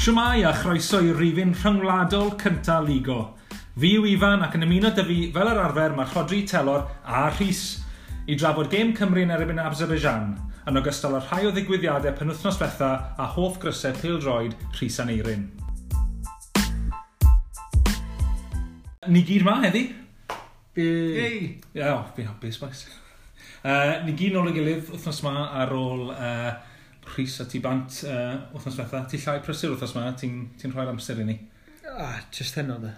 Shwmae a chroeso i rifyn rhyngwladol cynta Ligo. Fi yw Ifan ac yn ymuno 'da fi fel yr arfer mae Rhodri, Telor a Rhys i drafod gêm Cymru yn erbyn Azerbaijan, yn ogystal â rhai o ddigwyddiadau penwythnos ddiwetha a hoff grysau pêl-droed Rhys Aneirin. Ni gyd ma heddi. Hey! Ie, oh, fi'n hapus, boys. Ni gyd nôl ei gilydd wythnos ma ar ôl Rhys a ti bant wythnos diwetha. Ti llai prysur wythnos ma, ti'n ti rhoi'r amser i ni. Ah, just heno da.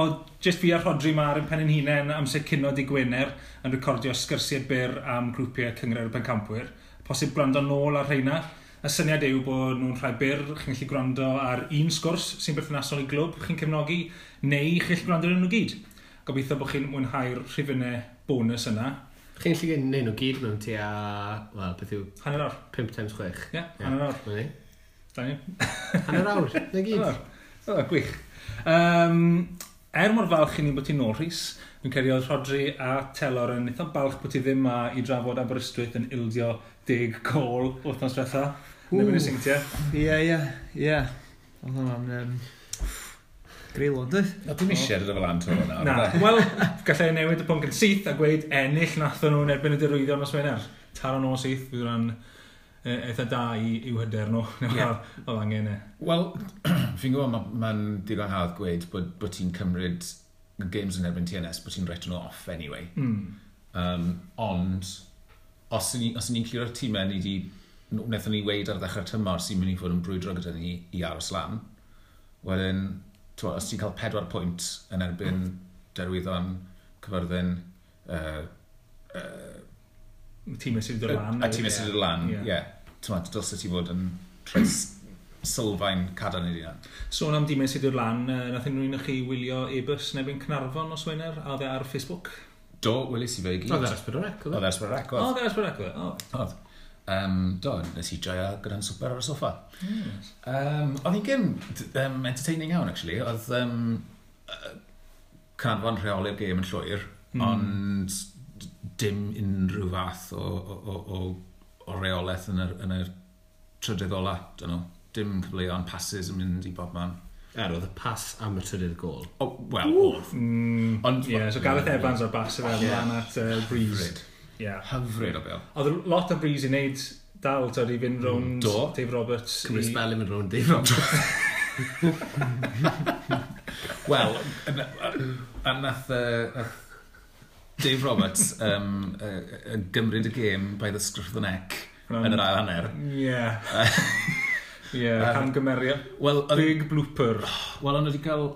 O, just fi a Rhodri ma ar ein pen ein hunain amser cinio dydd Gwener yn recordio sgyrsiau byr am grwpiau Cynghrair y Pencampwyr. Posib gwrando nôl ar rheina. Y syniad yw bod nhw'n rhai byr, chi'n gallu gwrando ar un sgwrs sy'n berthnasol i glwb chi'n cefnogi, neu chi'n gallu gwrando ar nhw gyd. Gobeithio bod chi'n mwynhau'r rhifynnau bonus yna. Chi'n gallu gwneud nhw gyd mewn tua, wel, beth yw? Hanner awr. 5 times 6. Ie, yeah, hanner awr. Ie. Da ni. Hanner awr, na gyd. O, gwych. Er mor falch i ni bod ti'n nôl, Rhys, fi'n credu oedd Rhodri a Telor yn eitha balch bod ti ddim ma i drafod Aberystwyth yn ildio 10 gôl wythnos diwetha. Yn erbyn y Seintiau. Ie. Oedd hwnna'n greulon, dwi? Na, dim eisiau dod o fel lan to hwnna. Na, wel, gallai newid y pwnc yn syth a gweud ennill nathon nhw'n erbyn y Derwyddon nos Wener. Taro nos syth, fydd hwnna'n eitha da i'w hyder nhw. Yeah. Oedd angen e. Wel, fi'n gwybod mae'n digon hawdd gweud bod ti'n cymryd games yn erbyn TNS, bod ti'n write nhw off anyway. Ond, os ni'n clirio'r tîmau ni di, wnaethon ni weud ar ddechrau'r tymor sy'n mynd i fod yn brwydro gyda ni i aros lan, wedyn, t'mo, os ti'n cael 4 pwynt yn erbyn Derwyddon, Cyfyrddin, tîmau sydd wedi dod lan. A tîmau sydd wedi dod lan, ie. T'mo, dylse ti fod yn rhoi sylfaen cadarn i hunan. Sôn am dimau sydd wedi dod lan, nath unrhyw un o chi wylio Airbus yn erbyn Caernarfon nos Wener, a oedd e ar Facebook? Do, welis i fe i gyd. Oedd e ar S4C, oedd e? Oedd e ar S4C, oedd. Oedd e ar S4C, oedd. Oedd. Do, nes i joio gyda'n swper ar y soffa. Oedd hi'n gêm entertaining iawn, actually. Oedd Caernarfon rheoli'r gêm yn llwyr, ond dim unrhyw fath o reolaeth yn y trydydd ola, dyn nhw. Dim cyfleon, passes yn mynd i bob man. Er, oedd y pas am y trydydd gôl. O, wel, oedd. Ond, yeah, so Gareth Evans o'r bas i fel ymlaen at Breeze. Yeah. Hyfryd o bêl. Oedd lot o Breeze i wneud dal, tyd, i fynd rownd Dave Roberts. Cymryd spel i fynd rownd Dave Roberts. Wel, a nath Dave Roberts gymryd y gêm by the scruff of the neck yn yr ail hanner. Ie. Ie, camgymeriad. Well, big blooper. Wel, ond wedi cael,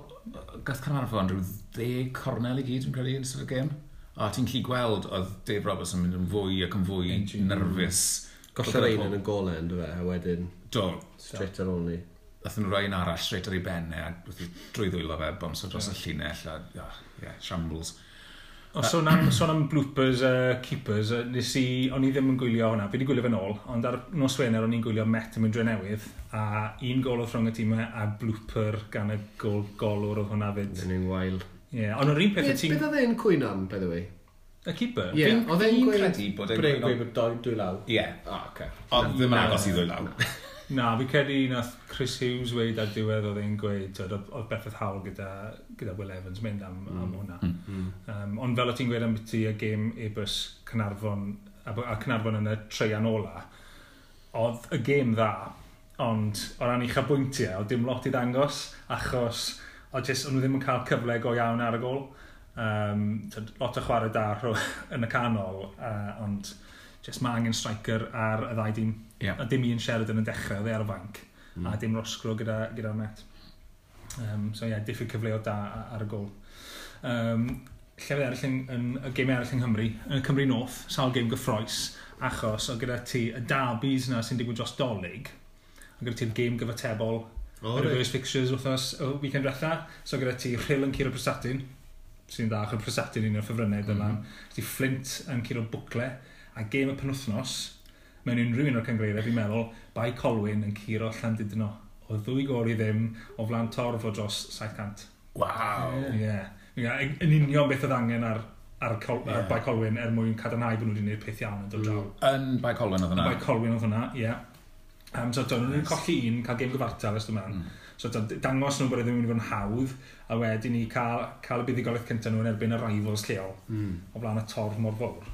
gath Caernarfon rhyw 10 cornel i gyd, yn credu, yn ystod y gêm. A ti'n gallu gweld oedd Dave Roberts yn mynd yn fwy ac yn fwy nerfus. Gollodd ein yn y golau, ynddo fe, a wedyn... Do. Straight ar ôl ni. Nathon nhw roi un arall straight ar ei ben e, a drwy ddwylo fe, bownsio dros y llinell, a, yeah, shambles. O, sôn am bloopers, keepers, nes i, o'n i ddim yn gwylio hwnna, fi wedi gwylio fe nôl, ond ar nos Wener o'n i'n gwylio Met yn mynd Drenewydd, a un gol oedd rhwng y tîmau a blooper gan y golwr oedd hwnna fyd. Yn un wael. Ie, ond o'r un peth ti'n... Beth oedd e'n cwyno am, by the way? Y keeper? Ie, oedd e'n credu bod e'n gweud bod dwy law. Ie. O, oce. Oedd ddim yn agos i ddwy law. Na, fi credu nath Chris Hughes weud ar diwedd oedd e'n gweud, oedd berffaith hawl gyda Will Evans mynd am hwnna. Ond fel o ti'n gweud am byti y gêm Airbus Caernarfon, a Caernarfon yn y treian ola, oedd y gêm dda, ond o ran uchafbwyntiau, oedd dim lot i ddangos, achos oedd jyst, o'n nhw ddim yn cael cyfle go iawn ar y gôl. Lot o chwarae da yn y canol, ond jyst mae angen striker ar y ddau dîm. Yeah. A dim un Sheridan yn dechrau, oedd e ar y fanc, a dim Roscrow gyda'r Met. So ie, yeah, diffyg cyfleoedd da ar y gôl. Llefydd eraill yn y gemau eraill yng Nghymru, yn y Cymru North, sawl gêm gyffroes, achos oedd gyda ti y derbys na sy'n digwydd dros Dolig, oedd gyda ti'r gêm gyfatebol, reverse fixtures wythnos y weekend diwetha, so gyda ti Rhyl yn curo Prestatyn, sy'n dda, achos Prestatyn un o'r ffefrynnau dyma, ti Flint yn curo Bwcle, a gêm y penwythnos, mewn unrhyw un o'r cynghreiriau, fi'n meddwl, Bae Colwyn yn curo Llandudno. O 2 gôl i ddim, o flaen torf o dros 700. Waw! Ie. Yn union beth oedd angen ar Bae Colwyn er mwyn cadarnhau bod nhw wedi gwneud peth iawn yn dod draw. Yn Bae Colwyn oedd hwnna? Yn Bae Colwyn oedd hwnna, ie. So, nhw'n nice. Colli un, cael gêm gyfartal ers yma. So, dangos nhw bod e ddim yn mynd i fod yn hawdd, a wedyn ni cael y buddugoliaeth cyntaf nhw yn erbyn y rivals lleol o flaen y torf mor fawr.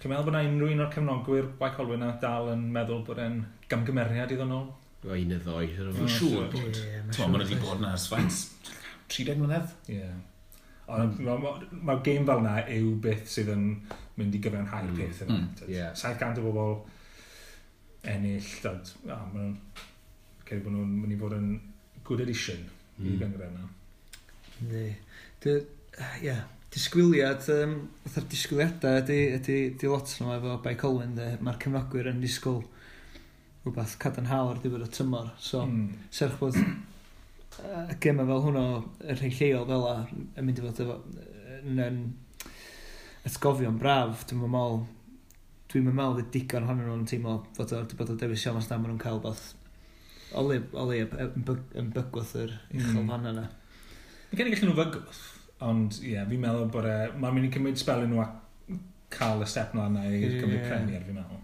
Chi'n meddwl bod yna unrhyw un o'r cefnogwyr Bae Colwyn na dal yn meddwl bod e'n gamgymeriad iddyn nhw? O, un neu ddoi. Fi'n siŵr bod. Ti'n meddwl, maen nhw wedi bod yna ers faint? 30 mlynedd? Ie. Ond mae gêm fel yna yw beth sydd yn mynd i gyfiawnhau'r peth yna. 700 o bobl ennill, dad, a maen nhw'n credu bod nhw'n mynd i fod yn good addition i gynghrair yna. Yndi. Ie, disgwyliad, fatha'r disgwyliadau ydy lot nhw efo Bae Colwyn, de. Mae'r cefnogwyr yn disgwyl rhywbeth cadarnhaol ar diwedd y tymor. So, serch bod y gemau fel hwnnw, y rhai lleol fel 'a, yn mynd i fod efo, yn atgofion braf, dwi'n meddwl fydd digon ohonyn nhw'n teimlo fod o wedi bod o dewis iawn os na maen nhw'n cael beth o le yn bygwth yr uchel fan yna. Fi'n credu gallen nhw fygwth, ond ie, yeah, fi'n meddwl bod mae'n mynd i cymryd spel i nhw a cael y step mlaen na i'r Cymru Premier, fi'n meddwl.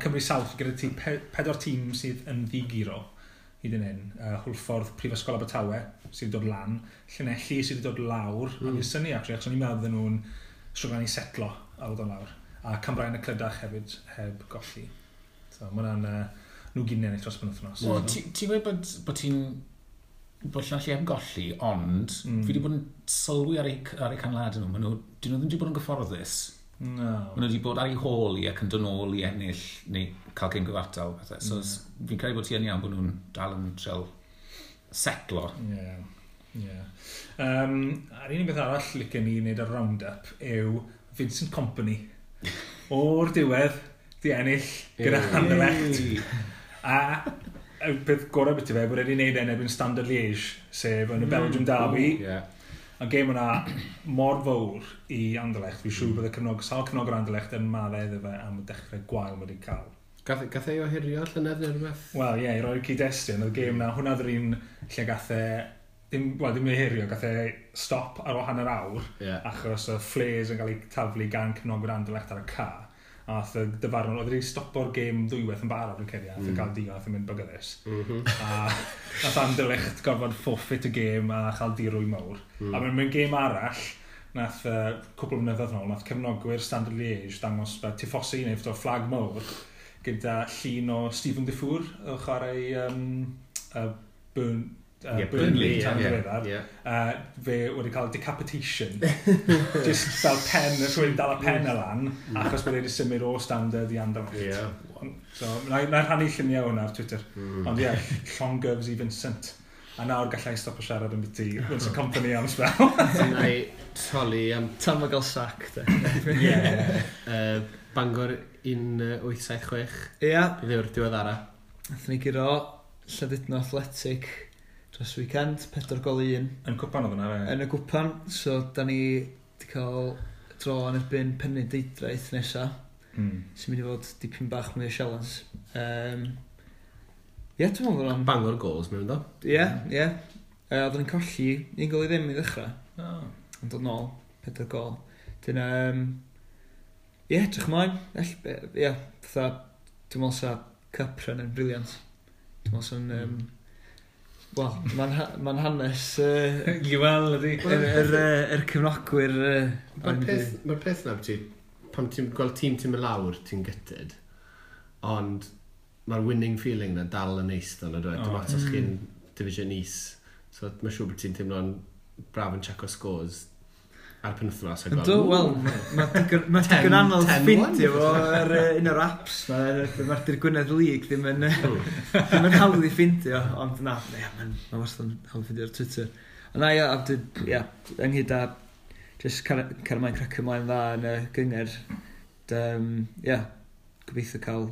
Cymru South, gyda ti pedwar tîm sydd yn ddiguro hyd yn hyn. Hwlffordd, Prifysgol Abertawe sydd wedi dod lan, Llanelli sydd wedi dod lawr, a fi'n synnu actually, achos o'n i'n meddwl bydden nhw'n stryglan i setlo ar ôl dod lawr. A Cambrian y Clydach hefyd heb golli. So, mae hwnna'n nhw gyd yn ennill dros penwythnos. Wel, ti'n gweud bod ti'n bod Llanelli heb golli, ond fi wedi bod yn sylwi ar eu canlyniadau nhw. Maen nhw, dyn nhw ddim wedi bod yn gyfforddus. No. Maen nhw wedi bod ar eu hôl i ac yn dod nôl i ennill neu cael gêm gyfartal. Pethau. So fi'n credu bod ti yn iawn bod nhw'n dal yn trial setlo. Ie. Ie. A'r unig beth arall licen ni wneud ar round-up yw Vincent Kompany. O'r diwedd, di ennill gyda Anderlecht. A y peth gorau beth i fe, bod wedi wneud yn erbyn Standard Liège, sef yn y Belgium Derby. A gêm yna mor fawr i Anderlecht. Fi'n siŵr bod y sawl cefnogwr Anderlecht yn maddau iddo fe am y dechrau gwael mae wedi cael. Gath ei ohirio llynedd neu rhywbeth? Wel, ie, i roi'r cyd-destun, oedd gêm na, hwnna oedd yr un lle gath e, ddim ei ohirio, gath e stop ar ôl hanner awr, achos y flares yn cael ei taflu gan cefnogwyr Anderlecht ar y ca. A nath y dyfarnwr, oedd wedi stopo'r gêm ddwywaith yn barod yn credu, a nath e gael digon, nath e mynd bygyddus. A nath Anderlecht gorfod forfeit y gêm a chael dirwy mawr. A mewn gêm arall, nath cwpl o flynyddoedd nôl, nath cefnogwyr Standard Liège dangos fel tifosi neu o flag mawr gyda llun o Steven Defour o chwarae Burnley tan ddiweddar. Fe wedi cael decapitation. Just fel pen, rhywun dal y pen y lan, achos bod e wedi symud o Standard i Anderlecht. So, na i rhannu lluniau hwnna ar Twitter. Ond ie, llongyfs i Vincent. A nawr gallai stop o siarad am byti Vincent Kompany am spel. Na i troli am... Tan mae gael sac, de. Ie. Bangor 1876. Ie. Beth yw'r diweddara? Nathon ni guro Llandudno Athletic dros weekend, 4-1. Yn cwpan oedd hwnna, fe? Yn y cwpan, so da ni wedi cael dro yn erbyn Penrhyndeudraeth nesa, sy'n mynd i fod dipyn bach mwy o sialens. Ie, dwi'n meddwl bod o'n... Bangor goals mewn do? Ie, ie. Oedden ni'n colli 1-0 i ddechrau. Ond dod nôl, 4 gol. Dyna, ie, edrych ymlaen. Ie, fatha, dwi'n meddwl sa cup run yn brilliant. Dwi'n meddwl sa'n... Wel, mae'n hanes... Wel, ydy. Yr cefnogwyr... Mae'r peth na, pan ti'n gweld tîm ti'n mynd lawr, ti'n gutted, ond mae'r winning feeling na dal yn neis ddo, na dwi? Dim ots os chi'n division is. So mae'n siŵr bod ti'n teimlo'n braf yn checo scores ar penwythnos. Yndw, wel, mae digon anodd ffindio fo ar un o'r apps. Mae'r Dur Gwynedd League ddim yn hawdd i ffindio, ond na, mae'n wastad yn hawdd i ffindio ar Twitter. Ond na, ie, ynghyd â just cael ymlaen cracio ymlaen dda yn y gynghrair. Ie, gobeithio cael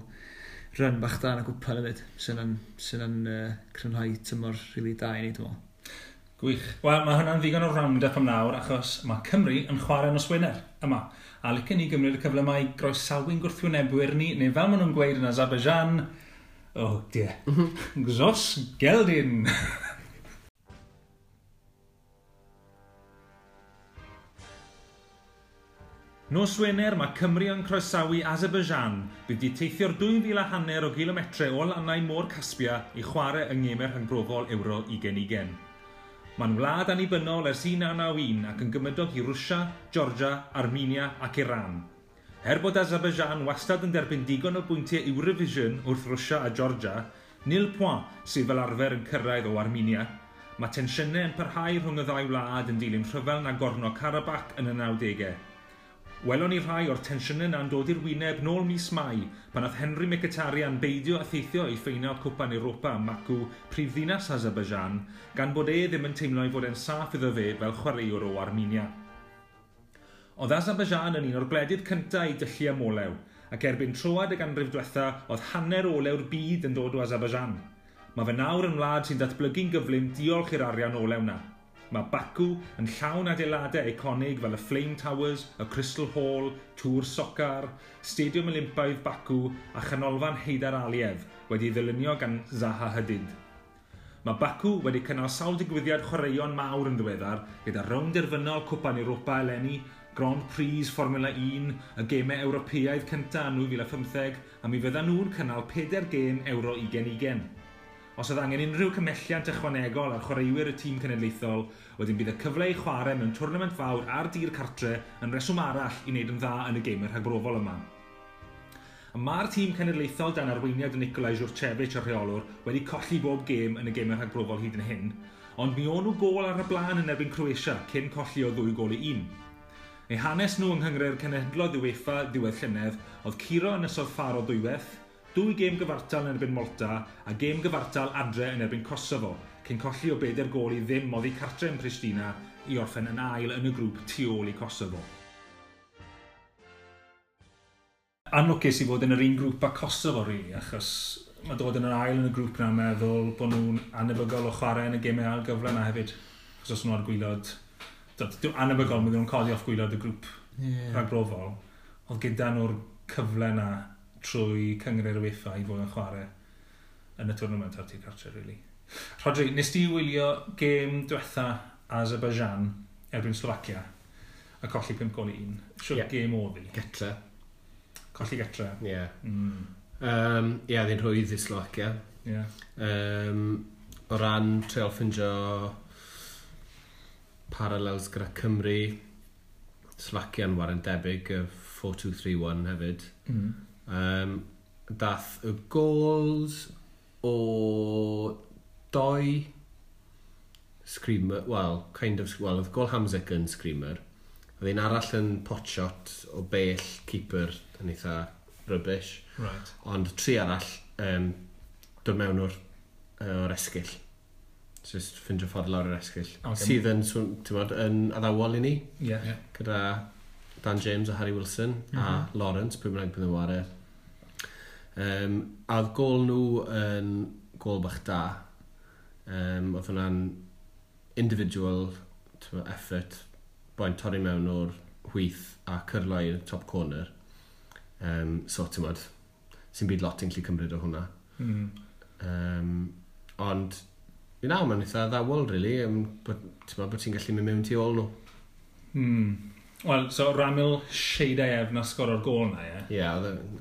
run bach da yn y gwpan hefyd, sy'n yn crynhoi tymor rili da i ni, dwi'n meddwl. Gwych. Wel, mae hwnna'n ddigon o round-up am nawr, achos mae Cymru yn chwarae nos Wener yma. A licen ni gymryd y cyfle yma i groesawu'n gwrthwynebwyr ni, neu fel maen nhw'n gweud yn Azerbaijan, oh dear, Gzos Geldin. Nos Wener mae Cymru yn croesawu Azerbaijan bydd di teithio'r 2,500 o gilometrau o lannau Môr Caspia i chwarae yng ngemau rhagbrofol Euro 2020. Mae'n wlad annibynnol ers 1991 ac yn gymydog i Rwsia, Georgia, Armenia ac Iran. Er bod Azerbaijan wastad yn derbyn digon o bwyntiau Eurovision wrth Rwsia a Georgia, nil point sydd fel arfer yn cyrraedd o Armenia. Mae tensiynau yn parhau rhwng y ddau wlad yn dilyn rhyfel Nagorno-Karabakh yn y 90au. Welon ni rhai o'r tensiynau na'n dod i'r wyneb nôl mis Mai pan oedd Henry Mkhitaryan beidio a theithio i ffeinal Cwpan Europa ym Maku, prifddinas Azerbaijan, gan bod e ddim yn teimlo ei fod e'n saff iddo fe fel chwaraewr o Armenia. Oedd Azerbaijan yn un o'r gwledydd cyntaf i dyllu am olew, ac erbyn troad y ganrif diwetha oedd hanner olew'r byd yn dod o Azerbaijan. Mae fe nawr yn wlad sy'n datblygu'n gyflym diolch i'r arian olew na. Mae Baku yn llawn adeiladau eiconig fel y Flame Towers, y Crystal Hall, Tŵr Socar, Stadiwm Olympaidd Baku a Chanolfan Heydar Aliyev wedi ddylunio gan Zaha Hadid. Mae Baku wedi cynnal sawl digwyddiad chwaraeon mawr yn ddiweddar gyda rownd derfynol Cwpan Europa eleni, Grand Prix Formula 1, y gemau Ewropeaidd cyntaf yn 2015 a mi fyddan nhw'n cynnal 4 gêm Euro 2020. Os oedd angen unrhyw cymhelliant ychwanegol ar chwaraewyr y tîm cenedlaethol, wedyn bydd y cyfle i chwarae mewn twrnament fawr ar dir cartre yn reswm arall i wneud yn dda yn y gemau rhagbrofol yma. Mae'r tîm cenedlaethol dan arweiniad Nikolai Jurchevich y rheolwr wedi colli bob gêm yn y gemau rhagbrofol hyd yn hyn, ond mi o'n nhw gôl ar y blaen yn erbyn Croatia cyn colli o 2-1. Eu hanes nhw yng Nghynghrair Cenhedloedd UEFA ddiwedd llynedd oedd curo Ynysoedd Ffaro ddwywaith, 2 gêm gyfartal yn erbyn Malta a gêm gyfartal adre yn erbyn Kosovo, cyn colli o 4-0 oddi cartre yn Pristina i orffen yn ail yn y grŵp tu ôl i Kosovo. Anlwcus i fod yn yr un grŵp â Kosovo, really, achos mae dod yn yr ail yn y grŵp na'n meddwl bod nhw'n anebygol o chwarae yn y gemau ail gyfle na hefyd. Achos os nhw ar gwylod... Anebygol, mae nhw'n codi off gwylod y grŵp rhagbrofol. Oedd gyda nhw'r cyfle na trwy Cynghrair UEFA i fod yn chwarae yn y tournament ar tir cartre, really. Rodri, nes di wylio gêm diwetha Azerbaijan erbyn Slovacia a colli 5-1. Siwr gêm oedd hi? Getre. Colli getre. Ie. Ie, oedd hi'n rhwydd i Slovacia. Ie. O ran treial ffindio parallels gyda Cymru, Slovacia'n waren debyg, y 4-2-3-1 hefyd. Dath y goals o doi screamer, well, kind of, well, oedd gol Hamzik yn screamer. Oedd un arall yn pot shot o bell keeper yn eitha rubbish. Right. Ond tri arall dod mewn o'r esgyll. Just ffindio ffordd lawr yr esgyll. Okay. Sydd yn, ti'n yn addawol i ni. Yeah. Yeah. Gyda Dan James a Harry Wilson a Lawrence, pwy bynnag bydd yn ware. A oedd gôl nhw yn gôl bach da. Oedd hwnna'n individual effort, boi'n torri mewn o'r chwith a cyrlo i'r top corner. So, ti'n modd, sy'n byd lot yn gallu cymryd o hwnna. Ond, i nawr, mae'n eitha addawol, really, bod ti'n gallu mynd mewn tu ôl nhw. Wel, so Ramil Sheidaev na sgoro'r gôl na, ie? Ie.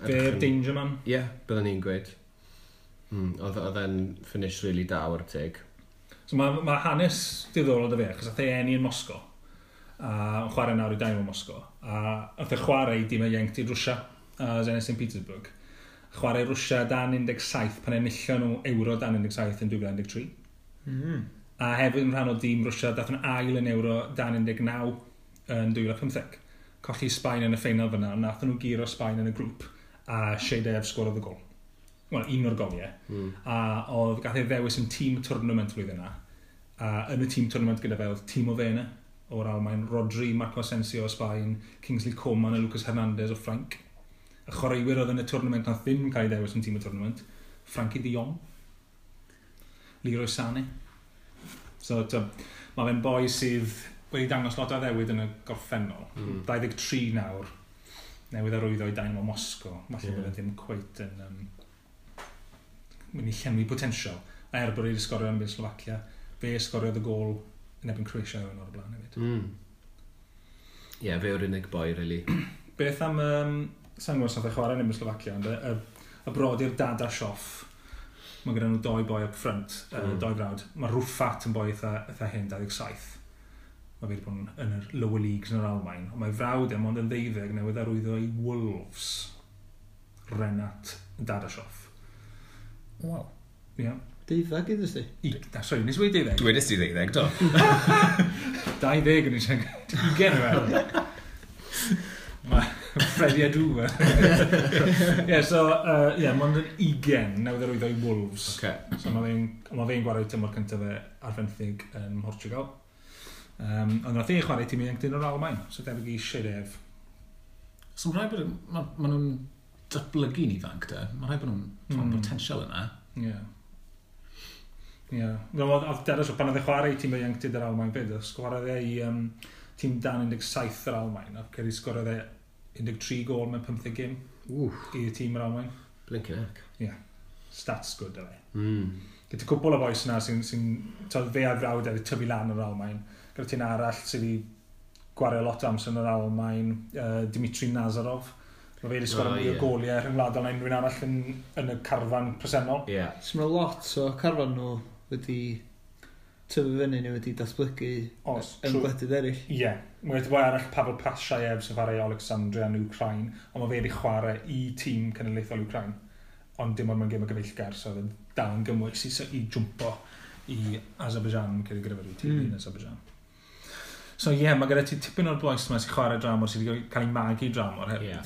Fe'r danger man? Ie, byddwn ni'n gweud. Oedd e'n finish really da o'r teg. So mae hanes diddorol da fe, achos ath e eni yn Moscow, a yn chwarae nawr i Dynamo Moscow, a ath e chwarae i dîm ieuenctid Rwsia, a Zenit St Petersburg. Chwarae Rwsia dan 17 pan enillon nhw Euro dan 17 yn 2013. A hefyd yn rhan o dîm Rwsia, dath yn ail yn Euro dan 19 yn 2015. Colli Sbaen yn y ffeinal fyna, ond nath nhw guro Sbaen yn y grŵp a Sheidaev sgorodd y gol. Wel, un o'r goliau. A oedd gath ei ddewis yn tîm tournament flwyddyn yna. A yn y tîm tournament gyda fe oedd Timo Werner o'r Almaen, Rodri, Marco Asensio o Sbaen, Kingsley Coman a Lucas Hernandez o Ffrainc. Y chwaraewyr oedd yn y tournament nath ddim cael ei ddewis yn tîm y tournament, Frankie de Jong, Leroy Sané. So, mae fe'n boi sydd wedi dangos lot o addewid yn y gorffennol. 23 nawr, newydd arwyddo i Dynamo Moscow. Falle bod e ddim cweit yn mynd i llenwi potensial. A er bod e wedi sgorio yn erbyn Slovacia, fe sgoriodd y gôl yn erbyn Croatia yn o'r blaen hefyd. Ie, fe yw'r unig boi, really. Beth am, sa'n gwybod os nath e chwarae yn Slovacia, ond y brodyr Dadashov, mae gyda nhw doi boi up front, doi frawd. Mae Rufat yn boi eitha hyn, 27. Mae fe wedi bod yn yr lower leagues yn yr Almain. Ond mae frawd e mond yn 12 newydd arwyddo i Wolves. Renat Dadashov. Wow. Ie. Yeah. 12 iddo ti? Na, sorry, nes i wedi 12. Dwedais ti 12, do? 20 yn eisiau. 20 yw e. Mae Freddie Adu. Ie, so, ie, mond yn 20 newydd arwyddo i Wolves. Okay. So mae fe'n gwario tymor cyntaf fe ar fenthyg yn Portugal. Ond nath e chwarae tîm ieuenctid o'r Almain, so debyg i Sherev. So mae'n rhaid bod, ma nhw'n datblygu'n ifanc de. Mae'n rhaid bod nhw'n potensial yna. Ie. Ie. Oedd Dadashov, pan oedd e chwarae i tîm ieuenctid yr Almain fyd, sgorodd e i tîm dan 17 yr Almain, a ceri sgorodd e 13 gôl mewn 15 gêm i tîm yr Almain. Blinking heck. Ie. Stats good, oedd e. Gyda cwpl o bois yna sy'n fe a frawd wedi tyfu lan yr Almain. Gyda ti'n arall sydd wedi gwario lot o amser yn yr Almain, Dimitri Nazarov. Mae fe wedi sgorio mwy o goliau rhyngwladol na unrhyw un arall yn y carfan presennol. Yeah. So mae lot o carfan nhw wedi tyfu fyny neu wedi datblygu yn gwledydd eraill. Ie. Yeah. Mae wedi boi arall Pavel Pashayev sy'n chwarae i Alexandria yn Ukraine, ond mae fe wedi chwarae i tîm cenedlaethol Ukraine. Ond dim ond mewn gêm o gyfeillgar, so oedd e'n dal yn gymwys i jwmpo i Azerbaijan, gyda fe tîm yn Azerbaijan. So ie, yeah, mae gyda ti tipyn o'r bois yma sy'n chwarae dramor, sydd wedi cael ei magu dramor hefyd. Yeah.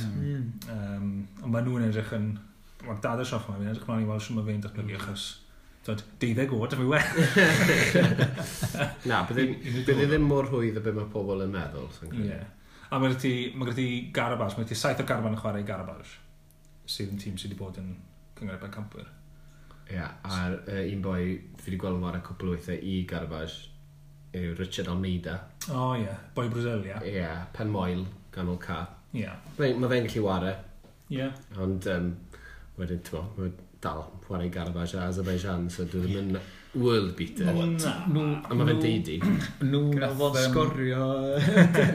Ond maen nhw'n edrych yn... Mae'r Dadashov yma, fi'n edrych mlaen i weld sut mae fe'n datblygu, achos 12 oed, a fi well. Na, bydde ddim mor rhwydd o be mae pobl yn meddwl. Ie. A mae gyda ti Garabaj, mae gyda ti 7 o garfan yn chwarae i Garabaj, sydd yn tîm sydd wedi bod yn Cynghrair Bencampwyr. Ie, a'r un boi fi wedi gweld yn chwarae cwpl o weithiau i Garabaj yw Richard Almeida. O ie, boi Brazil, ie. Ie, pen moel, ganol ca. Ie. Mae fe'n gallu ware. Ie. Ond wedyn, ti'n mo, mae dal chwarae Garabaj a Azerbaijan, so dwi ddim yn world beater. Na. A mae fe'n deidi. Nhw nath... Fo'n sgorio.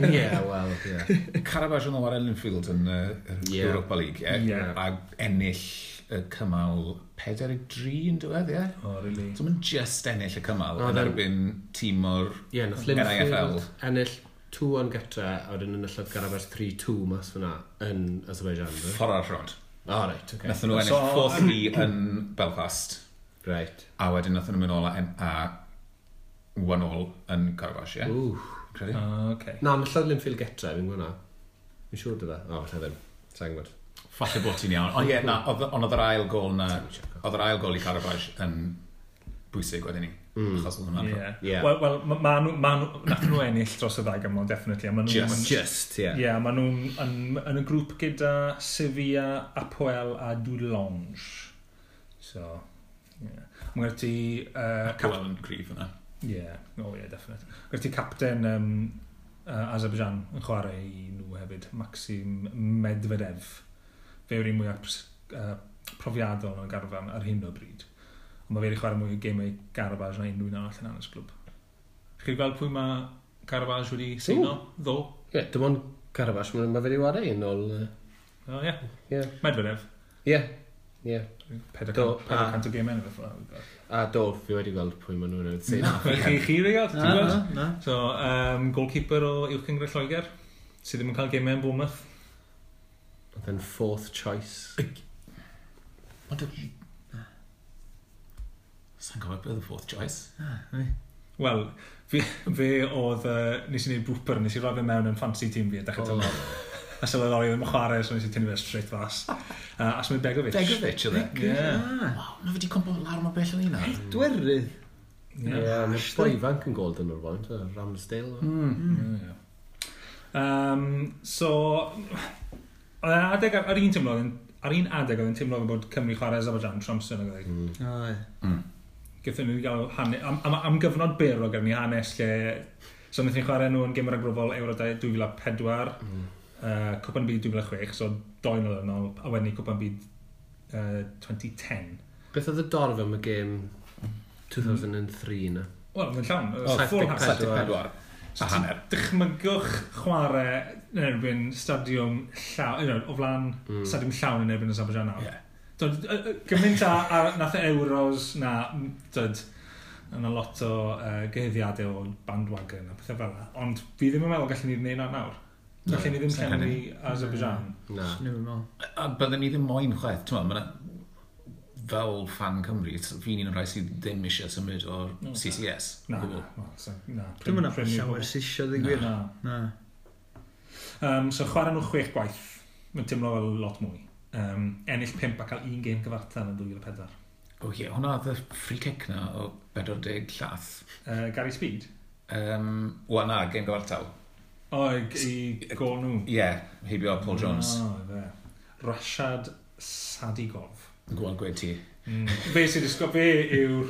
Ie, wel, ie. Karabaj yn chwarae Linfield yn Europa League, ie. A ennill y cymal 4-3 yn diwedd, ie? Oh, really? So mae'n just ennill y cymal yn erbyn tîm o'r NIFL. Ennill 2-1 gytre, a wedyn enillodd Karabaj 3-2 mas fyna yn Azerbaijan. Ffordd arall rownd. Oh, right, okay. Nathon nhw ennill 4-3 yn Belfast. Right. A wedyn nathon nhw mynd nôl a 1-0 yn Karabaj, ie? Ww. Credu? Okay. Na, enillodd Linfield getre, fi'n gwybod na. Fi'n siŵr dy fe. O, falle ddim. Sa'n gwybod. Falle bod ti'n iawn. Ond ie, na, ond oedd yr ail gol na, oedd yr ail gol i Karabaj yn bwysig wedyn ni. Achos oedd hwnna'n... Ie. Wel, ma nhw, nath nhw ennill dros y ddau gymol, definitely. Ma nhw, just, ie. Ie, ma nhw'n yn y grŵp gyda Sevilla, Apoel a Dudelange. So, ie. Yeah. Mae gyda ti... Apoel yn gryf yna. Ie, oh ie, definite. Gyda ti capten Azerbaijan yn chwarae i nhw hefyd, Maxim Medvedev. Fe yw'r un mwyaf profiadol yn y garfan ar hyn o bryd. Ond mae fe wedi chwarae mwy o gemau Karabaj na unrhyw un arall yn hanes glwb. Chi wedi gweld pwy mae Karabaj wedi seino ddo? Ie, dim ond Karabaj, mae fe wedi chwarae yn ôl... O, ie. Medvedev. Ie, ie. 400 o gemau neu beth fel. A do, fi wedi gweld pwy maen nhw'n seino. Chi wedi gweld? Ti'n gweld? Na. So, goalkeeper o Uwch Gynghrair Lloegr, sydd ddim yn cael gemau yn Bournemouth. Oedd e'n fourth choice. Ond Sa'n gofio beth oedd y fourth choice? Wel, fe oedd... Nes i wneud blooper, nes i roi fe mewn yn fancy team fi a dechrau tymor. A sylweddoli ddim yn chwarae, so nes i tynnu fe straight fas. Asmir Begovic. Begovic, oedd e? Ie. Waw, mae fe wedi cwmpo lawr mor bell yn un ar. Dwerydd. Ie, mae'r boi ifanc yn golden o'r blaen, Ramsdale. So, adeg, ar un teimlo, ar un adeg oedd yn teimlo bod Cymru chwarae Azerbaijan Tromsø yn oedd. Gaethon ni gael hanes, am gyfnod byr o gyda ni hanes lle, so wnaethon ni chwarae nhw yn gêm ragbrofol Euro 2004, Cwpan Byd 2006, so doi nôl yn ôl, a wedyn ni Cwpan Byd 2010. Beth oedd y dorf am y gêm 2003 na? Wel, mae'n llawn, full house. 74. So a hanner. Dychmygwch chwarae yn erbyn stadiwm llawn, o flaen stadiwm llawn yn erbyn Azerbaijan nawr. Yeah. Dod, gymaint a nath y Euros na, dod, yna lot o gyhuddiadau o bandwagon a pethau fel yna. Ond fi ddim yn meddwl gallen ni wneud na nawr. Gallen ni ddim llenwi Azerbaijan. Na. A byddwn ni ddim moyn chwaith. Ti'n meddwl, fel fan Cymru, fi'n un o'r rhai sydd ddim eisiau symud o'r CCS. Na. Dwi'n mynd llawer sydd eisiau, dweud gwir. Na. So chwarae nhw 6 gwaith. Mae'n teimlo fel lot mwy. Ennill 5 a cael un gêm gyfartal yn 2004. O ie, hwnna oedd y free kick na o 40 llath. Gary Speed? Wel na, gêm gyfartal. O, i gol nhw? Ie, heibio Paul Jones. O, fe. Rashad Sadigov. Gweld gweud ti. Fe sy'n disgo, fe yw'r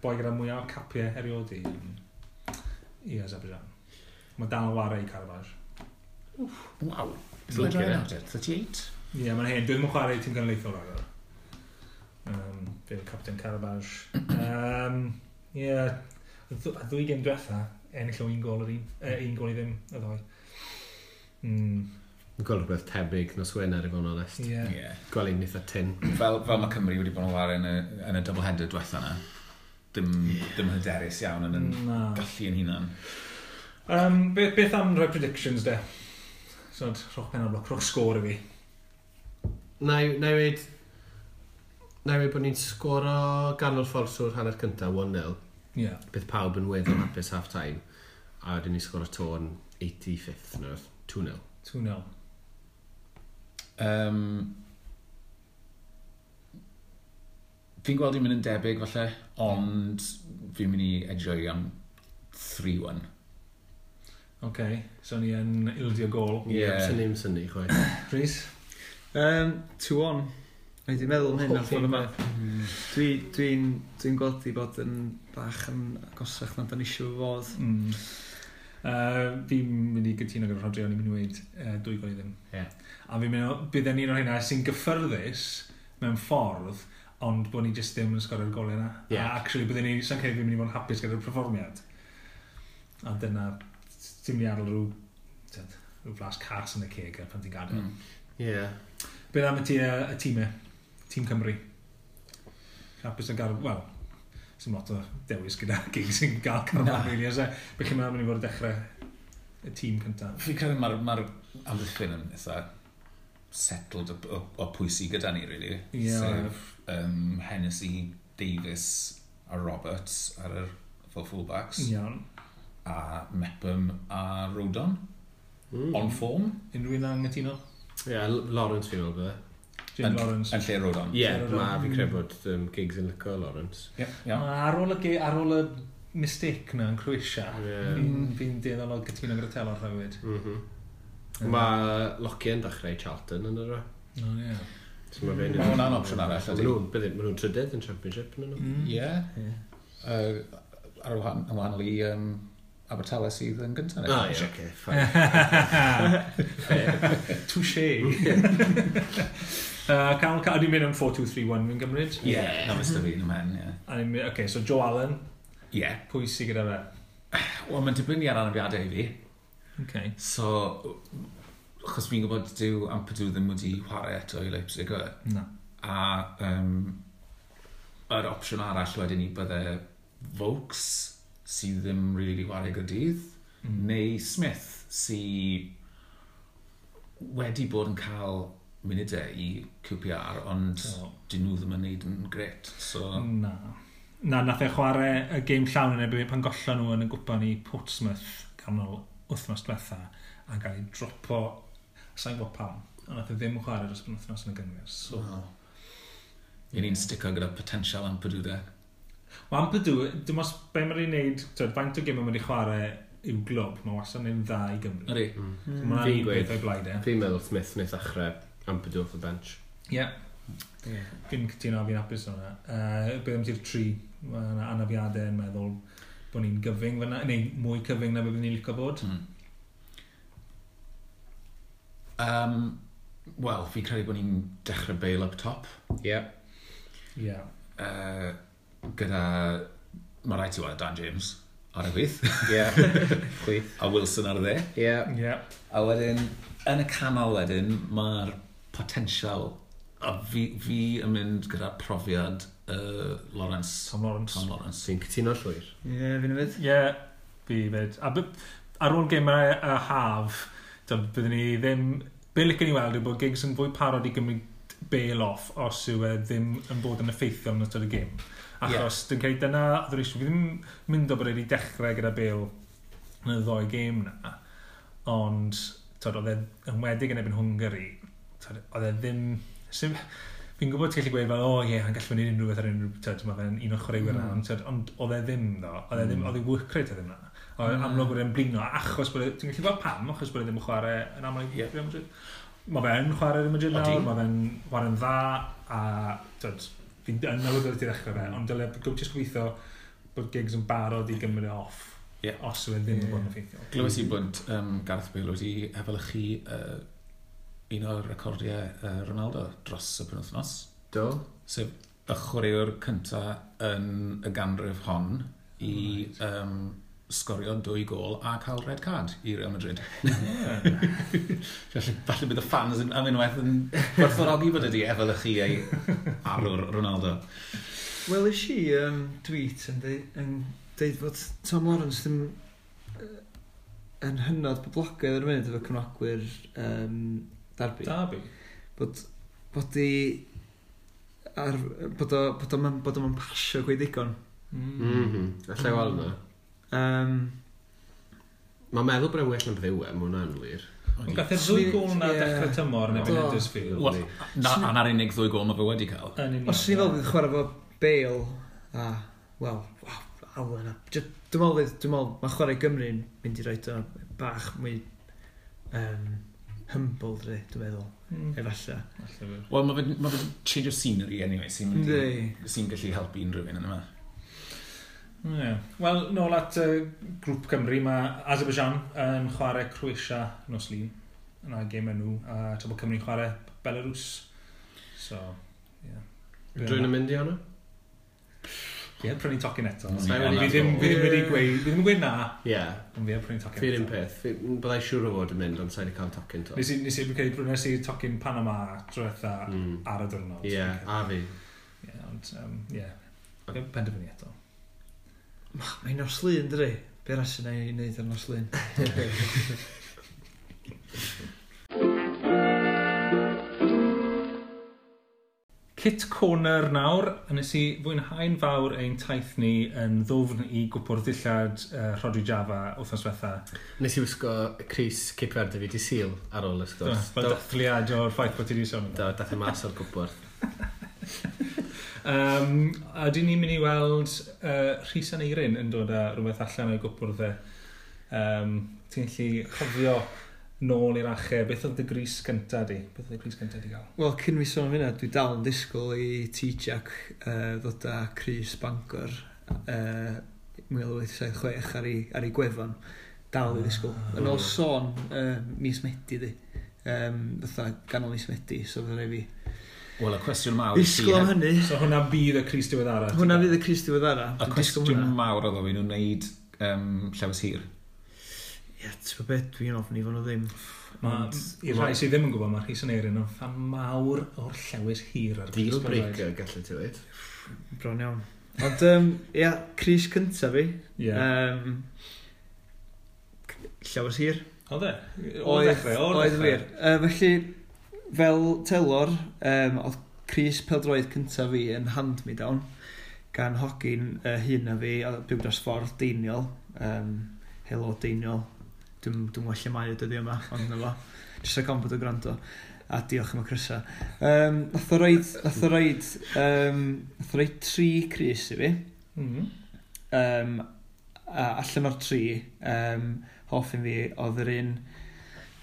boi gyda mwyaf o capiau erioed i Azerbaijan. Mae dal ware i Karabaj. Waw. 38? Ie, mae'n hen. Dwi ddim yn chwarae i tîm genedlaethol rhagor. Fe yw'r captain Karabaj. Ie, y ddwy gêm diwetha, ennill o un gol yr un, un gol i ddim, y ddoi. Yn gweld rhywbeth tebyg nos Wener i fod yn onest. Yeah. Yeah. Gweld un eitha tyn. Fel mae Cymru wedi bod yn chwarae yn y double header diwetha yna. Dim hyderus iawn yn gallu yn hunan. Beth am rhoi predictions de? So, rhowch pen ar bloc, rhowch sgôr i fi. Na i weud bod ni'n sgoro ganol ffordd trwy'r hanner cyntaf, 1-0. Yeah. Bydd pawb yn weddol hapus half time. A wedyn ni'n sgoro to yn 85th, neu 2-0. 2-0. Fi'n gweld i'n mynd yn debyg falle, ond fi'n mynd i edgio am 3-1. OK, so ni yn ildio gol. Ie, yeah, sy'n ni'n synnu, chwaith. Rhys? 2-1. Mae di meddwl am hyn ar ffordd yma. Dwi'n gweld i bod yn bach yn agosach na dan eisiau fod. Fi'n mynd i gytuno gyda Rhodri, o'n i'n mynd i weud 2 gol i ddim. Yeah. A fi'n mynd, bydd e'n un o'r hynna sy'n gyffyrddus mewn ffordd, ond bod ni jyst ddim yn sgorio'r golau yna. Yeah. A actually, bydden ni, sa'n credu fi'n mynd i fod yn hapus gyda'r perfformiad. A dyna, ti'n mynd i adael rhyw flas cas yn y ceg pan ti'n gadael. Yeah. Beth am y tîmau? Tîm Cymru. Hapus yn gael, wel, sy'n lot o dewis gyda gigs sy'n gael carfan, really, oes e? Be chi'n meddwl mynd i fod yn dechrau y tîm cyntaf? Fi'n credu mae'r amddiffyn yn eitha settled o pwy sydd gyda ni, really. Yeah. Sef Hennessy, Davies a Roberts ar yr fel fullbacks. Iawn. A Mepham a Rodon. On form. Unrhyw un anghytuno? Ie, yeah, Lawrence fi'n meddwl bydde. James Lawrence. Yn lle Rodon. Ie, yeah, fi'n credu bod Giggs yn licio Lawrence. Yeah, yeah. Ar ôl y mistake na yn Croatia, fi'n dueddol o gytuno gyda Telor hefyd. Mae Lockie yn dechrau Charlton yn yr o. O, ie. Mae hwnna'n opsiwn arall, ydy. Mae nhw'n trydydd yn Championship, yn nhw. Ie. Ar wahanol i Abertawe sydd yn gyntaf. Ah, ie, oce, fine. Touché. Cael, ni'n mynd am 4-2-3-1 fi'n gymryd? Ie, na fysda fi yn ymhen, ie. Oce, so Joe Allen. Ie. Pwy sydd gyda fe? Wel, mae'n dibynnu ar anafiadau i fi. Okay. So, achos fi'n gwybod dyw Ampadu ddim wedi chwarae eto i Leipzig, yw e? Na. A yr opsiwn arall wedyn i bydde Vokes, sydd ddim really chwarae Gaerdydd, neu Smith, sydd wedi bod yn cael munudau i QPR, ond dyn nhw ddim yn neud yn gret. So... Na. Na, nath e chwarae y gêm llawn yn erbyn pan gollon nhw yn y gwpan i Portsmouth ganol wythnos diwetha a gael ei dropo, sa'n gwybod pam, ond nath e ddim chwarae dros wythnos yn y gynghrair. So... No. I ni'n stico gyda potential Ampadu de. Wel, Ampadu, dim os be mae'n ei wneud, twyd, faint o gêm mae'n ei chwarae i'w glwb, mae wastad yn dda i Gymru. Ydy. Fi'n gweud o'i blaid e. Fi'n meddwl Smith wneud ddechrau Ampadu off the bench. Ie. Yeah. Fi'n cytuno, fi'n hapus o'na. Beth am ti'r tri, mae yna anafiadau yn meddwl bod ni'n gyfyng fyna, neu mwy cyfyng na beth ni'n licio bod. Wel, fi'n credu bod ni'n dechrau Bale up top. Ie. Ie. Gyda, mae rhaid ti weld Dan James. ar y chwith. Ie, chwith. A Wilson ar y dde. Ie. Yeah. A wedyn, yn y canol wedyn, mae'r potensial, a fi yn mynd gyda profiad Lawrence. Tom Lawrence. Tom Lawrence. Fi'n cytuno llwyr. Ie, yeah, fi'n fyd. Ie, yeah, fi fyd. A ar ôl gemau y haf, byddwn ni ddim... Be licen i weld yw bod Giggs yn fwy parod i gymryd Bale off os yw e ddim yn bod yn effeithiol yn ystod y gêm. Achos yeah. Dwi'n credu dyna oedd yr issue. Fi ddim mynd o bod wedi dechrau gyda Bale yn y ddoi gêm na. Ond tod, oedd e yn wedig yn erbyn Hwngari. Tod, oedd e ddim... Fi'n gwybod ti'n gallu gweud fel, o ie, yn gallu wneud unrhyw beth ar unrhyw... Tod, mae fe'n un o'r chwaraewyr na, ond oedd e ddim, ddo. Oedd e ddim, oedd ei work rate e ddim na. Oedd amlwg bod e'n blino, achos bod e... Ti'n gallu gweld pam, achos bod e ddim yn chwarae yn aml i Real Madrid. Mae fe'n chwarae Real Madrid nawr, mae fe'n chwarae'n dda, a tod, fi'n yn awyddus i ddechrau fe, ond dyle jyst gobeithio bod Giggs yn barod i gymryd e off, os yw e ddim yn bod yn effeithiol. Glywes i bod Gareth Bale wedi efelychu un o'r recordiau Ronaldo dros y penwythnos. Do. Sef y chwaraewr cynta yn y ganrif hon i sgorio 2 gôl a cael red card i Real Madrid. Falle bydd y fans am unwaith yn gwerthfawrogi bod ydi efelychu ei arwr Ronaldo. Wel, is i tweet yn deud fod Tom Lawrence ddim yn hynod boblogaidd ar y munud efo cefnogwyr Derby. Derby? Bod o'n pasio gweud digon. Allai weld na. Mae'n meddwl bod e'n well na beth yw e, mae hwnna'n wir. Ond gath e'r 2 gôl na dechrau tymor yn erbyn Huddersfield. Wel, a na'r unig 2 gôl mae fe wedi cael. Os ni fel bydd chwarae fo Bale a, wel, Allen a... Dwi'n meddwl, mae chwarae Gymru'n mynd i roed o bach mwy humble, dwi'n meddwl, efallai. Wel, mae fe change of scenery anyway, sy'n gallu helpu unrhyw un yn yma. Yeah. Wel, nôl at grŵp Cymru, mae Azerbaijan yn chwarae Croatia nos Lun. Yna gêm nhw, a tra bod Cymru'n chwarae Belarus. So, yeah. Drwy'n yn mynd i hwnna? Ie, prynu tocyn eto. Fi ddim wedi gweud, fi ddim yn gweud na. Ie. Ond fi yn prynu tocyn eto. Fi'r un peth. Byddai siŵr o fod yn mynd, ond sa'i wedi cael tocyn to. Nes i prynes i tocyn Panama tro ddiwetha ar y diwrnod. Ie, a fi. Ie, ond, ie. Penderfynu eto. Mae'n nos Lun, dydi? Be arall sy'n ei wneud ar nos Lun? Kit Corner nawr, a nes i fwynhau'n fawr ein taith ni yn ddwfn i gwpwrdd dillad Rhodri Java wythnos diwetha. Nes i wisgo crys Cape Verde fi di Sul ar ôl y sgwrs. Fel dathliad o'r ffaith bod ti wedi sôn. Do, dath e mas o'r gwpwrdd. A dyn ni'n mynd i weld Rhys Aneurin yn dod â rhywbeth allan o'i gwpwrdd e. Ti'n gallu cofio nôl i'r achau, beth oedd dy grys gynta di? Beth oedd y grys gynta di gael? Wel, cyn fi sôn am hynna, dwi dal yn disgwyl i T-Jack ddod â crys Bangor 1876 ar ei gwefan. Dal i ddisgwyl. Yn ôl sôn mis Medi di. Fatha ganol mis Medi, so fydda fi Wel, y cwestiwn mawr... Disgwyl am hynny. So hwnna bydd y crys diweddara? Hwnna fydd y crys diweddara. Y cwestiwn mawr oedd o fi nhw'n wneud llewys hir. Ie, ti'n gwybod beth, dwi'n ofni fod nhw ddim. I'r rhai sydd ddim yn gwybod, mae Rhys Aneurin yn ffan mawr o'r llewys hir ar Deal breaker, gallu ti weud. Bron iawn. Ond, ia, crys cyntaf fi. Llewys hir. Oedd e? O'r dechrau, o'r dechrau. Oedd wir. Felly, fel telor, oedd crys pêl-droed cyntaf fi yn hand-me-down gan hogyn hyn a fi, byw dros ffordd, Deiniol. Helo, Deiniol. Dwi'n gwybod lle mae o dyddi yma, ond na fo. Jyst rhaid bod o'n gwrando. A diolch am y crysa. Nath o roid 3 crys i fi. A allan o'r 3, hoff un fi oedd yr un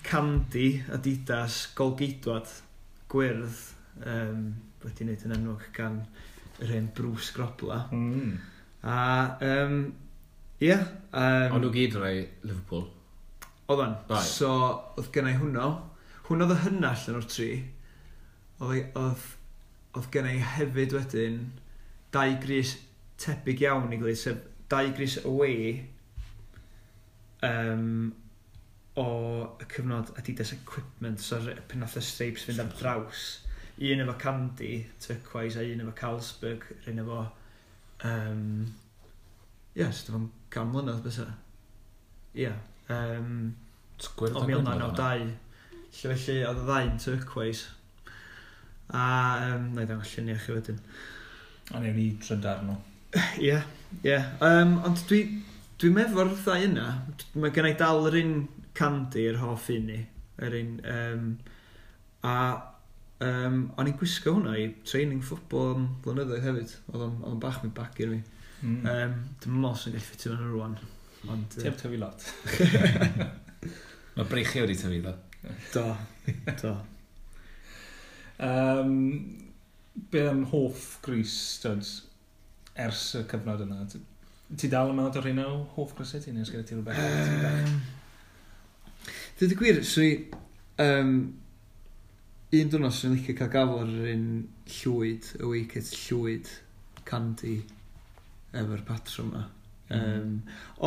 Candy Adidas golgeidwad gwyrdd wedi wneud yn enwog gan yr hen Bruce Grobler. A ie. Ond nhw gyd rai Liverpool? Oeddan. So oedd gennau hwnnw. Hwnnw oedd y hynna allan o'r 3. Oedd gennau hefyd wedyn 2 grys tebyg iawn i gilydd, sef 2 grys away o y cyfnod Adidas Equipment, so pan nath y stripes fynd ar draws. Un efo Candy, turquoise, a un efo Carlsberg, rhan efo... Ie, so dyfa'n 100 mlynedd bysa. Ie. O 1992. Lle felly, oedd y ddau'n turquoise. A, na i ddangos lluniau chi wedyn. A newn ni trydar nhw. Ie, ie. Ond dwi'n meddwl ddau yna. Mae gen i dal yr un Candy, yr hoff un i. Yr un, o'n i'n gwisgo hwnna i training football am blynyddoedd hefyd. Oedd o'n bach mwy baggy i fi. Dwi'n meddwl sy'n gallu ffitio fewn rwan. Ond, Ti heb tyfu lot. Mae breichiau wedi tyfu ddo. Do, do. Be am hoff grys, dod, ers y cyfnod yna? Ti dal yn meddwl rheina o hoff grysau ti, neu os gyda ti rhywbeth? Dweud y gwir, swn i... un diwrnod swn i'n licio cael gafel ar yr un llwyd, y wicket llwyd Candy efo'r patrwm yma.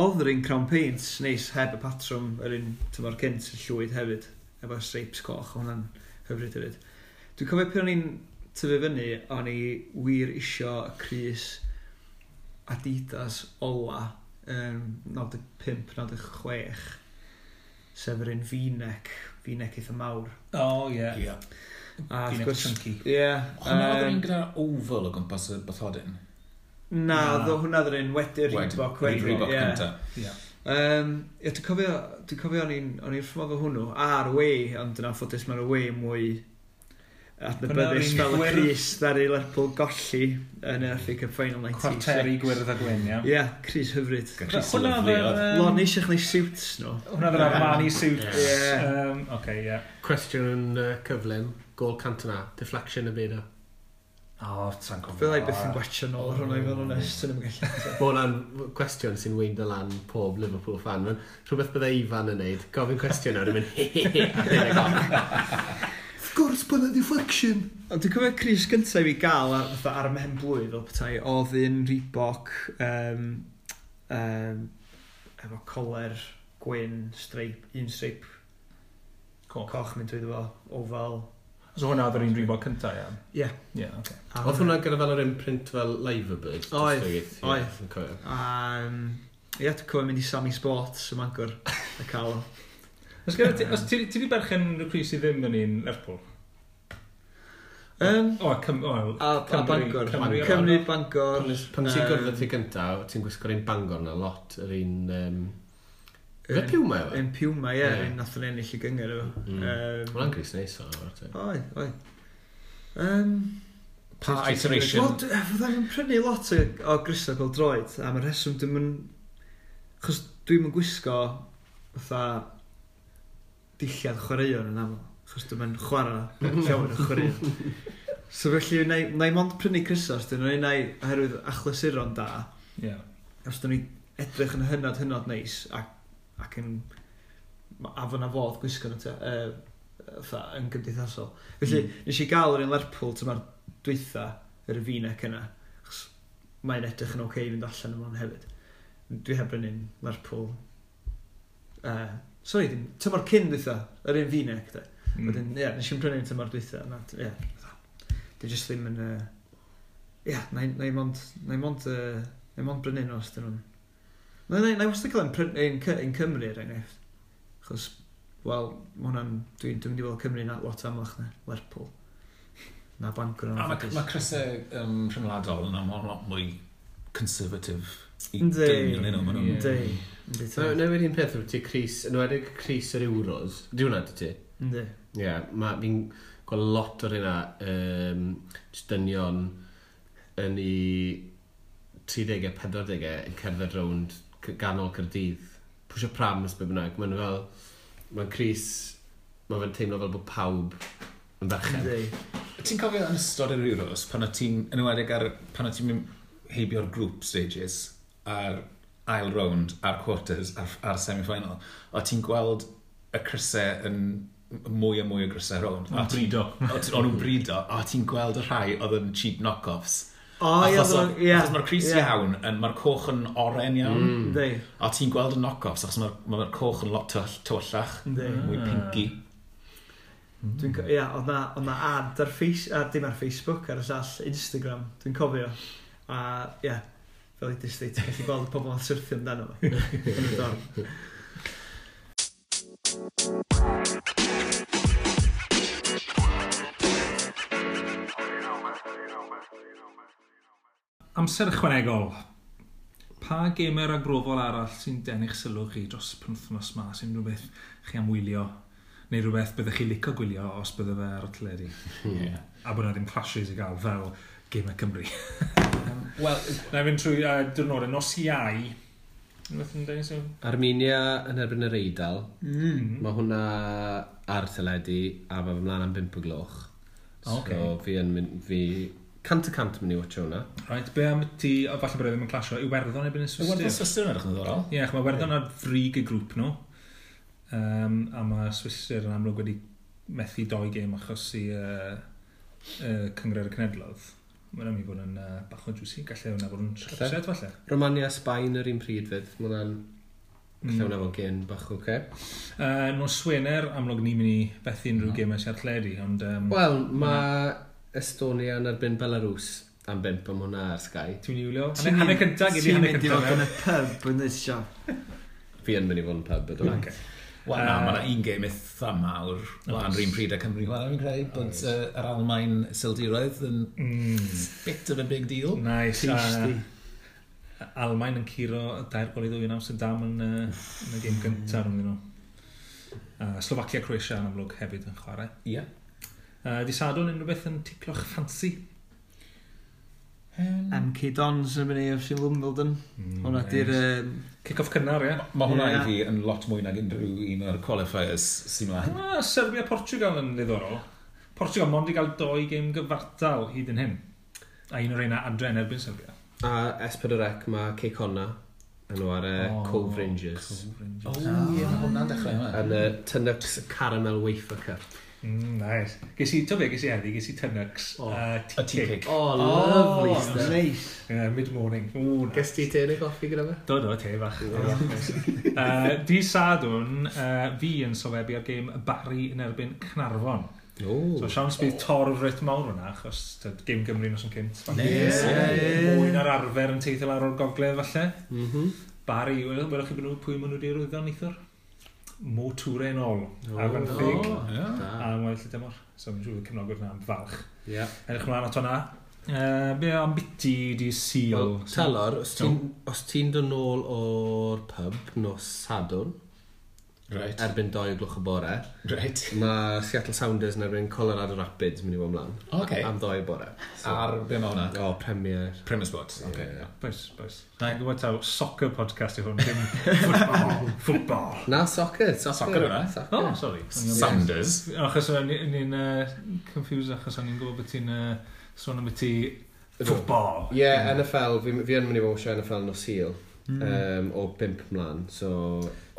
Oedd yr un Crown Paints neis heb y patrwm, yr un tymor cynt y llwyd hefyd, efo'r stripes coch, hwnna'n hyfryd hefyd. Dwi'n cofio pan o'n i'n tyfu fyny, o'n i wir isio y crys Adidas ola, 95, 96, sef yr un V-neck eitha mawr. O, ie. Ie. A wrth V-neck gwrs, chunky. Ie. Hwna oedd yr un gyda oval o gwmpas y bathodyn? Na, hwnna oedd yr un wedi'r Reebok. Reebok cynta. Ie. Ie, dwi'n cofio o'n i'n wrth fy modd efo hwnnw, a'r away, ond yn anffodus mae'r away mwy adnabyddus fel y crys ddaru Lerpwl golli yn y FA Cup Final 96. Cwarteri gwyrdd a gwyn, ie. Ie, crys hyfryd. Crys Hwnna lyfli oedd oedd. Lot neisiach neu suits nhw. Hwnna oedd yr Armani suits. Ie. Oce, ie. Cwestiwn yn cyflym, gol Cantona, deflection y byd o. O, sa'n cofio. Fydda i byth yn gwachio nôl ar hwnna i fod yn onest, sy'n ddim yn gallu. Mae hwnna'n cwestiwn sy'n weindo lan pob Liverpool fan. Mae'n rhywbeth bydde Ifan yn neud, gofyn cwestiwn nawr, yn mynd he he he, a rhedeg off. Of course, bod yna deflection. Ond dwi'n cofio crys gyntaf i fi gael ar, fatha, ar y mhen blwydd fel petai, oedd un Reebok efo coler gwyn, stripe, un stripe coch mynd drwyddo fo, oval. So hwnna oedd yr un Reebok cyntaf, ie? Ie. Ie, oce. Oedd hwnna gyda fel yr imprint fel Liverbird? Oedd, Oedd. Ie, dwi'n cofio mynd i Sammy Sports ym Mangor a cael o. Os gyda ti, os ti wedi berchen rhyw crys i ddim yn un Lerpwl? O, A Bangor. Cymru, Bangor. Pan ti'n gwrdd ti gyntaf, ti'n gwisgo'r un Bangor na lot, yr un... Fe Puma efo? Un Puma, ie, un nath o'n ennill i gyngor efo. Hwna'n crys neis o. Oedd, oedd. Pa iteration? Wel, fydda i'n prynu lot o grysau pêl-droed, am y rheswm dwi'm yn... Achos dwi'm yn gwisgo fatha dillad chwaraeon yn aml, achos dwi'm yn chwarae llawer o chwaraeon. So felly, na i mond prynu crysau os dyn nhw'n unai oherwydd achlysuron da. Yeah. Os dyn nhw'n edrych yn hynod, hynod neis ac yn afon a fodd gwisgo nhw fatha yn gymdeithasol. Felly, nes i gael yr un Lerpwl tymor dwytha, yr V-neck yna, achos mae'n edrych yn oce i fynd allan yma hefyd. Dwi heb brynu'n Lerpwl. Sorry, dim, tymor cyn dwytha, yr un V-neck de. Wedyn, ie, nes i'n prynu'n tymor dwytha. Ie, dwi jyst ddim yn... Ie, na i mond brynu nhw os dyn nhw'n... Na i wastad cael un Cymru, er enghraifft. Achos, wel, ma' hwnna'n... Dwi'n mynd i weld Cymru na lot amlach na Lerpwl. Na Bangor. A mae crysau rhyngwladol yn aml lot mwy conservative i dynion nhw. Yndi. Newid un peth, ti crys, yn enwedig crys yr Euros. Di hwnna, dy ti? Yndi. Ie, fi'n gweld lot o'r hynna, jyst dynion yn ei 30au, 40au yn cerdded rownd ganol Caerdydd, pwysio prams be bynnag, mae'n fel, mae'n crys, mae'n fe'n teimlo fel bod pawb yn ferched. Ti'n cofio yn ystod yr Euros, pan o ti'n, yn enwedig ar, pan o ti'n mynd heibio'r group stages, a'r ail round, a'r quarters, a'r semi-final, o ti'n gweld y crysau yn mwy a mwy o grysau rownd. O'n brido. O'n nhw'n brido, a ti'n gweld y rhai oedd yn cheap knock-offs. O, ie. Achos mae'r crys iawn, mae'r coch yn oren iawn. A ti'n gweld y knock-offs, achos mae'r ma coch yn lot tywyllach, mwy pinky. Ie, oedd na ad ar Facebook, dim ar Facebook, ar y llall Instagram, dwi'n cofio. A, ie, fel i dysgu, ti'n gallu gweld pobl yn syrthio amdano fo. Yn y dorm. Amser ychwanegol. Pa gemau ragbrofol arall sy'n denu'ch sylw chi dros y penwythnos ma, sy'n rhywbeth chi am wylio, neu rhywbeth byddech chi licio gwylio os bydde fe ar y teledu? Yeah. A bod yna ddim clashes i gael fel gemau Cymru. Wel, na i fynd trwy diwrnodau. Nos Iau, rhywbeth yn denu sylw? Armenia yn erbyn yr Eidal. Mae hwnna ar teledu a mae fy mlaen am 5 o gloch. Okay. So fi yn mynd, fi 100% mynd i watcho hwnna. Right, be am ti, o, falle bod e ddim yn clasio, Iwerddon erbyn y Swistir? Iwerddon Swistir yn edrych yn ddiddorol. Ie, yeah, mae Iwerddon ar frig y grŵp nhw. A mae Swistir yn amlwg wedi methu 2 gêm achos i Cynghrair y Cenhedloedd. Mae'n am i fod yn bach o juicy, gallai hwnna fod yn upset falle. Romania, Sbaen yr un pryd fyd, mae hwnna'n gallai hwnna fod gêm bach oce. Nos Wener, amlwg ni'n mynd i fethu unrhyw gemau sy'n ar ond... Wel, mae Estonia yn erbyn Belarus am 5 am hwnna ar Sky. Ti'n mynd i wylio? Hanner cyntaf, gyd i hanner cyntaf. Ti'n mynd i fod yn y pub yn this shop. Fi yn mynd i fod yn pub, ydw. Okay. Wel na, mae yna un gêm eitha mawr lan rhywun pryd a Cymru chwarae, fi'n credu, bod yr Almaen Sildiroedd yn bit of a big deal. Nice. Tasty. Almaen yn curo 2-2 yn Amsterdam yn y gêm gyntaf rhwng nhw. Slovacia, Croatia yn amlwg hefyd yn chwarae. Ie. Di Sadwrn unrhyw beth yn ticlo'ch ffansi? MK Dons yn mynd i FC Wimbledon. Hwna di'r... Kick-off cynnar, ie. Mae hwnna i fi yn lot mwy nag unrhyw un o'r qualifiers sy'n mlaen. Serbia Portugal yn ddiddorol. Portugal mond i gael 2 gêm gyfartal hyd yn hyn. A un o'r reina adre yn erbyn Serbia. A S4C mae Cei Connah yn chwarae Cove Rangers. O, ie, mae hwnna'n dechrau yma. Yn y Tunnocks Caramel Wafer Cup. Nice. Ges i heddi, ges i Tunnocks tea cake. Oh, lovely stuff. Nice. Yeah, mid-morning. Ges ti te neu goffi gyda fe? Do, te fach. Di Sadwrn, fi yn sylwebu ar gêm Barry yn erbyn Caernarfon. So siawns bydd torf reit mawr hwnna, achos gêm Gymru nos yn cynt. Mwy na'r arfer yn teithio lawr o'r gogledd falle. Barry, welwch chi pwy maen nhw wedi arwyddo neithiwr? Mo Toure yn ôl, ar fenthyg, a weddill y dymor. So, mi'n siŵr cefnogwyr yna am falch. Yeah. Edrych mlaen at hwnna. Be am biti di Sul? Well, Telor, os ti'n dod nôl o'r pub nos Sadwrn, right. Erbyn 2 o gloch y bore, right. Mae Seattle Sounders yn erbyn Colorado Rapids mynd i fod ymlaen. Okay. Am 2 y bore. So, ar be mae hwnna? O, Premier. Premier Sport. Okay. Yeah. Boys. Dwi'n gwybod taw soccer podcast yw hwn, dim football. Na, soccer. Soccer hwnna. Oh, sorry. Sounders. Achos o'n i'n confused, achos o'n i'n gwybod bod ti'n sôn am beth ti football. Ie, NFL, fi yn mynd i fod eisiau NFL nos Sul. O 5 mlaen, so...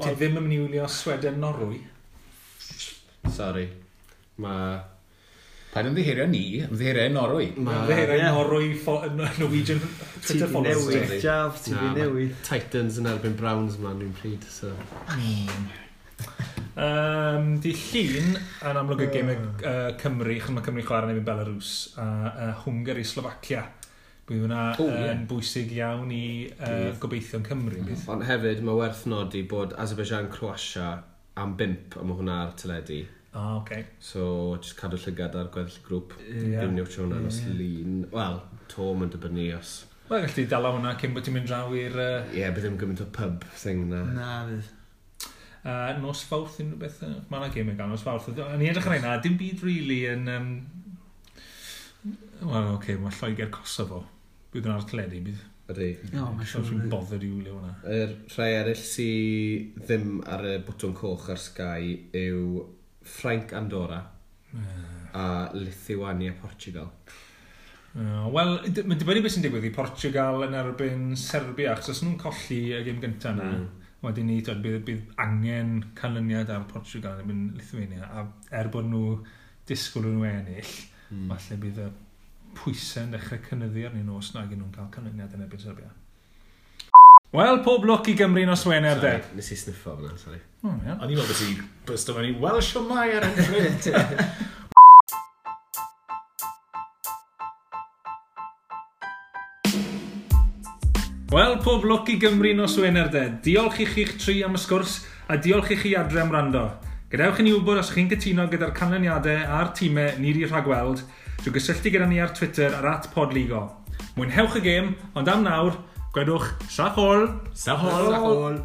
Ti ddim yn mynd i wylio Sweden Norwy? Sorry. Mae... Paid ymddiheurio ni, ymddiheurio Norwy. Ymddiheurio Norwy, Norwegian Twitter followers. Ti di newid, Jav, ti di newid. Titans yn erbyn Browns mlaen rhywun pryd, so... Di Llun, yn amlwg y gêm Cymru, chos mae Cymru chwarae yn erbyn Belarus, a Hwngari, Slovacia. Bydd hwnna yn bwysig iawn i gobeithio'n Cymru. Ond hefyd, mae werth nodi bod Azerbaijan Croatia am 5, a mae hwnna ar teledu. Ah, okay. So, just cadw llygad ar gweddill y grŵp. Ddim newid hwnna nos Lun. Wel, to mae'n dibynnu os... Wel, gallu dala hwnna cyn bod ti'n mynd draw i'r... Ie, bydd ddim gymaint o pub thing na. Na, fydd. Nos Fawrth unrhyw beth. Mae yna gêm yn gael nos Fawrth. O'n i edrych ar hynna, dim byd really yn... Wel, oce, mae Lloegr Kosovo. Bydd yn ar teledu, bydd. Ydy. No, mae'n siŵr. Dwi'n bothered i wylio hwnna. Yr rhai eraill sydd ddim ar y bwtwn coch ar Sky yw Ffrainc Andorra a Lithuania Portugal. Wel, mae'n dibynnu beth sy'n digwydd i Portugal yn erbyn Serbia, achos os nhw'n colli y gêm gyntaf yna, wedyn ni, bydd angen canlyniad ar Portugal yn erbyn Lithuania, a er bod nhw disgwyl nhw ennill, falle bydd y pwysau yn dechrau cynyddu arnyn nhw os nag nhw'n cael canlyniad yn erbyn Serbia. Wel, pob lwc i Gymru nos Wener, de. Nes i sniffo fyna, sorry. Oh, yeah. O'n i'n meddwl bod ti bysto mewn i Welsh o mai ar enghraifft. Wel, pob lwc i Gymru nos Wener, de. Diolch i chi'ch tri am y sgwrs a diolch i chi adre am wrando. Gadewch i ni wybod os chi'n cytuno gyda'r canlyniadau a'r tîmau ni wedi rhagweld drwy gysylltu gyda ni ar Twitter ar @podligo. Mwynhewch y gêm, ond am nawr, gwedwch sachol! Sachol! Sachol!